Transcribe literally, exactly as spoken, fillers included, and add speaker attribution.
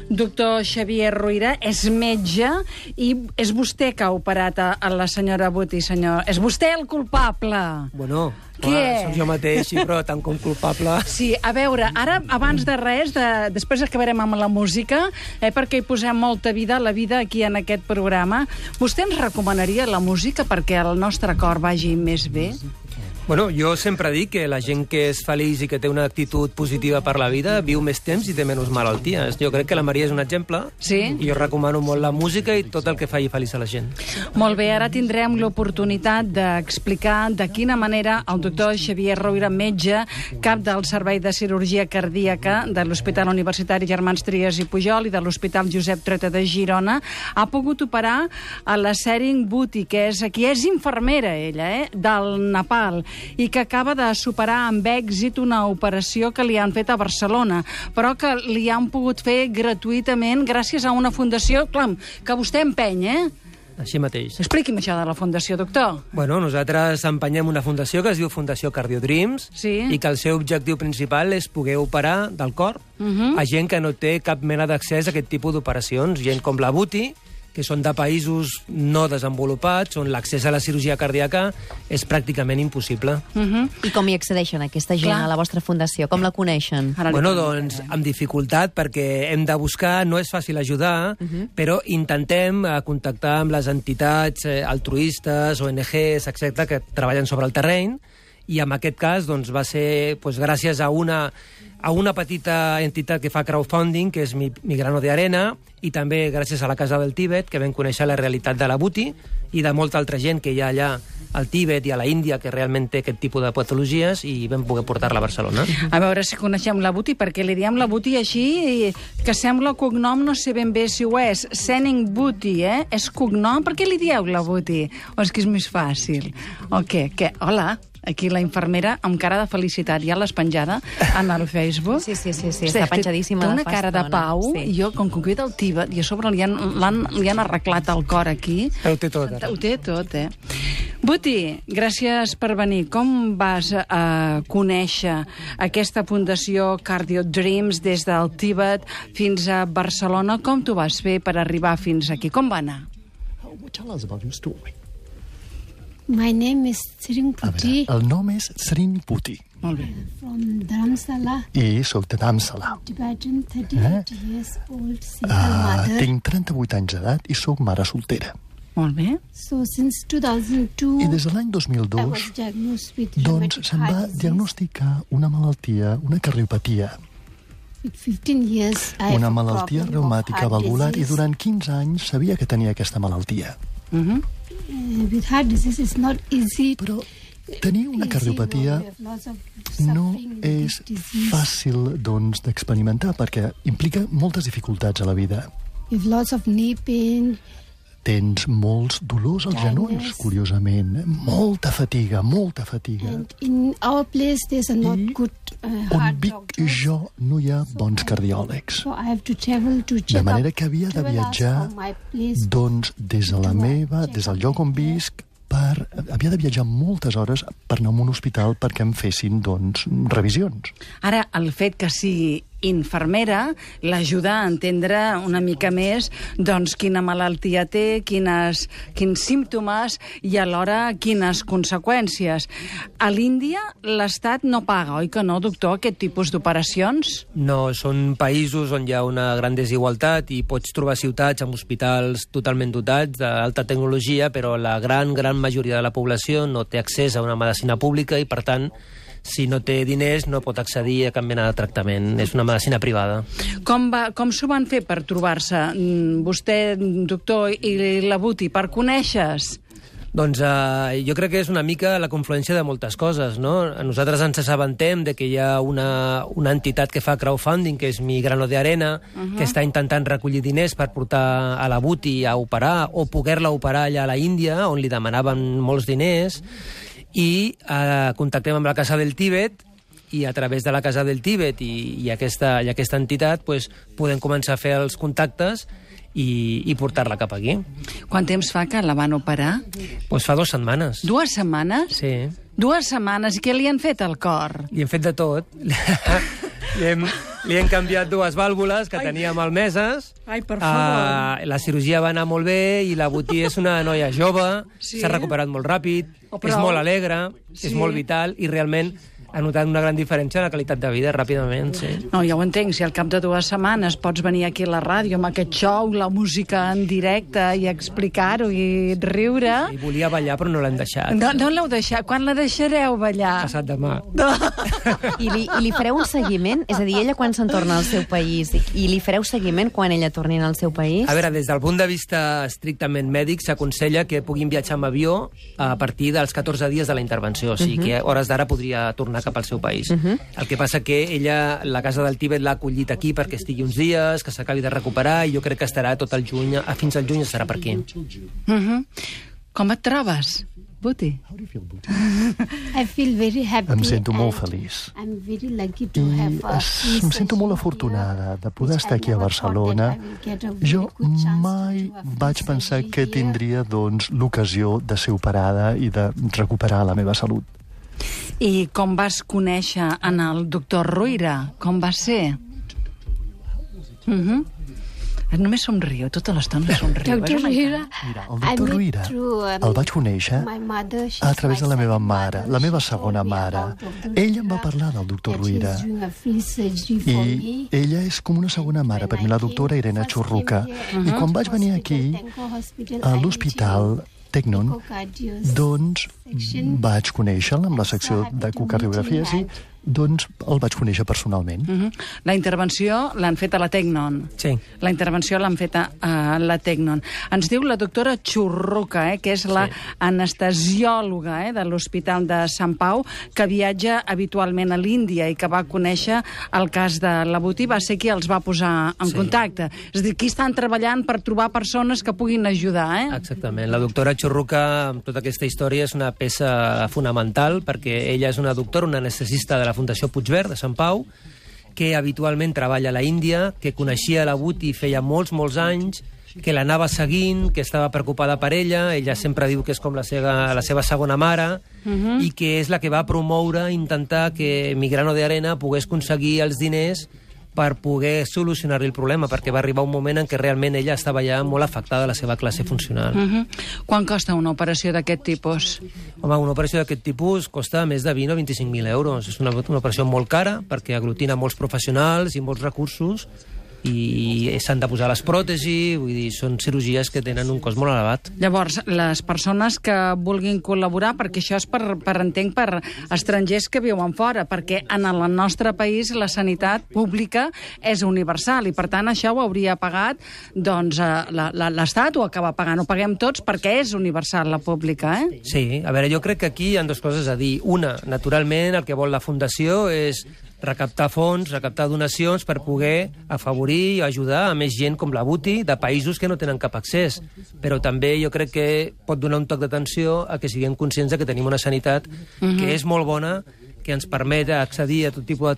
Speaker 1: Doctor Xavier Roira és metge i és vostè que ha operat a, a la senyora Buti, senyor. És vostè el culpable.
Speaker 2: Bueno,
Speaker 1: què?
Speaker 2: Clar, soc jo mateix, sí, però tant com culpable...
Speaker 1: Sí, a veure, ara, abans de res, de, després acabarem amb la música, eh, perquè hi posem molta vida, la vida aquí en aquest programa. Vostè ens recomanaria la música perquè el nostre cor vagi més bé?
Speaker 2: Bueno, jo sempre dic que la gent que és feliç i que té una actitud positiva per la vida viu més temps i té menys malalties. Jo crec que la Maria és un exemple.
Speaker 1: Sí?
Speaker 2: I jo recomano molt la música i tot el que faci feliç a la gent.
Speaker 1: Molt bé, ara tindrem l'oportunitat d'explicar de quina manera el doctor Xavier Roira, metge, cap del Servei de Cirurgia Cardíaca de l'Hospital Universitari Germans Trias i Pujol i de l'Hospital Josep Trueta de Girona, ha pogut operar a la Sering Buti, que és aquí, és infermera ella, eh, del Nepal, i que acaba de superar amb èxit una operació que li han fet a Barcelona, però que li han pogut fer gratuïtament gràcies a una fundació, clar, que vostè empeny, eh?
Speaker 2: Així mateix.
Speaker 1: Expliqui'm això de la fundació, doctor.
Speaker 2: Bueno, nosaltres empenyem una fundació que es diu Fundació Cardiodreams,
Speaker 1: sí,
Speaker 2: i que el seu objectiu principal és poder operar del cor
Speaker 1: uh-huh.
Speaker 2: a gent que no té cap mena d'accés a aquest tipus d'operacions, gent com la Buti, que són de països no desenvolupats, on l'accés a la cirurgia cardíaca és pràcticament impossible.
Speaker 1: Uh-huh.
Speaker 3: I com hi accedeixen aquesta gent
Speaker 1: Clar.
Speaker 3: a la vostra fundació? Com la coneixen?
Speaker 2: Bueno, doncs, amb dificultat, perquè hem de buscar, no és fàcil ajudar, uh-huh. però intentem eh, contactar amb les entitats eh, altruistes, O N Ges, etcètera, que treballen sobre el terreny, i en aquest cas doncs, va ser doncs, gràcies a una, a una petita entitat que fa crowdfunding, que és Mi, Mi Grano de Arena, i també gràcies a la Casa del Tíbet, que vam conèixer la realitat de la Buti i de molta altra gent que hi ha allà al Tíbet i a la Índia que realment té aquest tipus de patologies, i vam poder portar-la a Barcelona.
Speaker 1: A veure si coneixem la Buti, perquè li diem la Buti així, que sembla cognom, no sé ben bé si ho és. Sering Buti, eh? És cognom? Per què li dieu la Buti? O és que és més fàcil? O què? Què? Hola, aquí la infermera amb cara de felicitat. Ja l'has penjada en el Facebook?
Speaker 3: Sí, sí, sí, sí, està penjadíssima
Speaker 1: de
Speaker 3: de
Speaker 1: fa
Speaker 3: fa
Speaker 1: cara de
Speaker 3: estona.
Speaker 1: pau.
Speaker 3: Sí.
Speaker 1: I jo, com que cuida el Tíbet, i a sobre li han, han, li han arreglat el cor aquí.
Speaker 2: Ho té tot, ara.
Speaker 1: Ho té tot, eh? Buti, gràcies per venir. Com vas a conèixer aquesta fundació Cardiodreams des del Tíbet fins a Barcelona? Com t'ho vas fer per arribar fins aquí? Com va anar?
Speaker 4: Tell us about your story.
Speaker 5: My name is Sering
Speaker 4: A
Speaker 5: Puti
Speaker 4: veure, el nom és Sering Puti
Speaker 1: Molt bé.
Speaker 5: from Dharamsala,
Speaker 4: i soc de Dharamsala.
Speaker 5: Tibetan, thirty-eight years old, single
Speaker 4: Uh,
Speaker 5: mother.
Speaker 4: tinc trenta-vuit anys d'edat i soc mare soltera.
Speaker 1: Molt bé.
Speaker 5: So since two thousand two,
Speaker 4: I des de l'any dos mil
Speaker 5: I
Speaker 4: dos,
Speaker 5: was diagnosed with
Speaker 4: doncs,
Speaker 5: rheumatoid
Speaker 4: se'm va
Speaker 5: heart disease.
Speaker 4: diagnosticar una malaltia, una cardiopatia,
Speaker 5: With fifteen years, I
Speaker 4: una
Speaker 5: have a
Speaker 4: malaltia
Speaker 5: problem of
Speaker 4: reumàtica
Speaker 5: heart
Speaker 4: valvular, i
Speaker 5: disease.
Speaker 4: durant quinze anys sabia que tenia aquesta malaltia.
Speaker 1: Uh-huh.
Speaker 5: Uh, with heart disease, it's not easy.
Speaker 4: Però tenir una
Speaker 5: easy,
Speaker 4: cardiopatia
Speaker 5: no, we have lots of
Speaker 4: no
Speaker 5: suffering with
Speaker 4: és
Speaker 5: disease.
Speaker 4: fàcil doncs, d'experimentar, perquè implica moltes dificultats a la vida.
Speaker 5: We have lots of knee pain.
Speaker 4: Tens molts dolors als genolls,
Speaker 5: Dryness.
Speaker 4: curiosament. Molta fatiga, molta fatiga.
Speaker 5: And in our place, there's a not
Speaker 4: I
Speaker 5: good uh,
Speaker 4: On
Speaker 5: heart
Speaker 4: vic
Speaker 5: doctors.
Speaker 4: jo no hi ha bons cardiòlegs.
Speaker 5: So I have to travel to check
Speaker 4: De manera
Speaker 5: up
Speaker 4: que havia de
Speaker 5: twelve hours
Speaker 4: viatjar
Speaker 5: from my place.
Speaker 4: doncs, des de la meva, des del lloc on visc, per, havia de viatjar moltes hores per anar a un hospital perquè em fessin doncs, revisions.
Speaker 1: Ara, el fet que sigui infermera l'ajuda a entendre una mica més doncs quina malaltia té, quines, quins símptomes i alhora quines conseqüències. A l'Índia l'Estat no paga, oi que no, doctor, aquest tipus d'operacions?
Speaker 2: No, són països on hi ha una gran desigualtat i pots trobar ciutats amb hospitals totalment dotats d'alta tecnologia, però la gran, gran majoria de la població no té accés a una medicina pública i, per tant, si no té diners no pot accedir a cap mena de tractament. És una medicina privada.
Speaker 1: Com, va, com s'ho van fer per trobar-se mm, vostè, doctor, i la Buti, per conèixer-se?
Speaker 2: Doncs eh, jo crec que és una mica la confluència de moltes coses, no? Nosaltres ens assabentem de que hi ha una, una entitat que fa crowdfunding, que és Mi Grano de Arena, uh-huh. que està intentant recollir diners per portar a la Buti a operar o poder-la operar allà a la Índia, on li demanaven molts diners, i eh, contactem amb la Casa del Tíbet, i a través de la Casa del Tíbet i, i, aquesta, i aquesta entitat pues, podem començar a fer els contactes i, i portar-la cap aquí.
Speaker 1: Quant temps fa que la van operar?
Speaker 2: Pues fa dues setmanes.
Speaker 1: Dues setmanes?
Speaker 2: Sí.
Speaker 1: Dues setmanes. I què li han fet al cor?
Speaker 2: Li hem fet de tot. li, hem, li hem canviat dues vàlvules que tenia malmeses.
Speaker 1: Ai, per favor.
Speaker 2: Uh, la cirurgia va anar molt bé i la Botí és una noia jove,
Speaker 1: Sí.
Speaker 2: s'ha recuperat molt ràpid,
Speaker 1: Oh,
Speaker 2: és
Speaker 1: prou.
Speaker 2: molt alegre,
Speaker 1: Sí.
Speaker 2: és molt vital i realment ha notat una gran diferència en la qualitat de vida ràpidament, sí.
Speaker 1: No, ja ho entenc, si al cap de dues setmanes pots venir aquí a la ràdio amb aquest show, la música en directe i explicar-ho i riure...
Speaker 2: I volia ballar però no l'hem deixat.
Speaker 1: No, no l'heu deixat. Quan la deixareu ballar?
Speaker 2: Passat demà.
Speaker 1: No.
Speaker 3: I li, I li fareu un seguiment? És a dir, ella quan se'n torna al seu país, i, i li fareu seguiment quan ella torni al seu país?
Speaker 2: A veure, des del punt de vista estrictament mèdic, s'aconsella que puguin viatjar amb avió a partir dels catorze dies de la intervenció, o sigui uh -huh. que a hores d'ara podria tornar cap al seu país. Uh -huh. El que passa que ella, la Casa del Tíbet l'ha acollit aquí perquè estigui uns dies, que s'acabi de recuperar, i jo crec que estarà tot el juny, a fins al juny estarà per aquí.
Speaker 1: Uh-huh. Com et trobes, Botí?
Speaker 5: I feel very happy.
Speaker 4: Em sento molt
Speaker 5: and
Speaker 4: feliç.
Speaker 5: I'm very lucky to
Speaker 4: I
Speaker 5: have a
Speaker 4: es, em sento molt afortunada de poder estar aquí a Barcelona. Jo mai vaig pensar que tindria doncs, l'ocasió de ser operada i de recuperar la meva salut.
Speaker 1: I com vas conèixer en el doctor Ruïra? Com va ser? Uh-huh. Només somriu, tota l'estona somriu.
Speaker 5: Doctor Ruïra,
Speaker 4: Mira, el doctor Ruïra el vaig conèixer a través de la meva mare, la meva segona mare. Ella em va parlar del doctor Ruïra i ella és com una segona mare per mi, la doctora Irene Churruca. I quan vaig venir aquí, a l'hospital Tecnon, doncs vaig conèixer-la amb la secció d'ecocardiografies i doncs el vaig conèixer personalment.
Speaker 1: Uh-huh. La intervenció l'han fet a la Tecnon.
Speaker 2: Sí.
Speaker 1: La intervenció l'han fet a, a la Tecnon. Ens diu la doctora Churruca, eh, que és la sí. anestesiòloga eh, de l'Hospital de Sant Pau, que viatja habitualment a l'Índia i que va conèixer el cas de la Botí, va ser qui els va posar en sí. contacte. És a dir, aquí estan treballant per trobar persones que puguin ajudar, eh?
Speaker 2: Exactament. La doctora Churruca, amb tota aquesta història, és una peça fonamental perquè ella és una doctora, una anestesista de la Fundació Puigverd de Sant Pau, que habitualment treballa a la Índia, que coneixia la Botí feia molts, molts anys, que l'anava seguint, que estava preocupada per ella, ella sempre diu que és com la seva, la seva segona mare, uh-huh. i que és la que va promoure, intentar que Migrano de Arena pogués aconseguir els diners per poder solucionar-li el problema, perquè va arribar un moment en què realment ella estava ja molt afectada a la seva classe funcional.
Speaker 1: Uh-huh. Quan costa una operació d'aquest tipus?
Speaker 2: Home, una operació d'aquest tipus costa més de vint o vint-i-cinc mil euros. És una, una operació molt cara, perquè aglutina molts professionals i molts recursos, i s'han de posar les pròtesis, vull dir, són cirurgies que tenen un cost molt elevat.
Speaker 1: Llavors, les persones que vulguin col·laborar, perquè això és per, per entenc, per estrangers que viuen fora, perquè en el nostre país la sanitat pública és universal i, per tant, això ho hauria pagat doncs, l'Estat, ho acaba pagant, ho paguem tots perquè és universal la pública, eh?
Speaker 2: Sí, a veure, jo crec que aquí hi ha dues coses a dir. Una, naturalment, el que vol la Fundació és recaptar fons, recaptar donacions per poder afavorir i ajudar a més gent com la Botí de països que no tenen cap accés. Però també jo crec que pot donar un toc d'atenció a que siguem conscients de que tenim una sanitat uh-huh. que és molt bona, que ens permet accedir a tot tipus de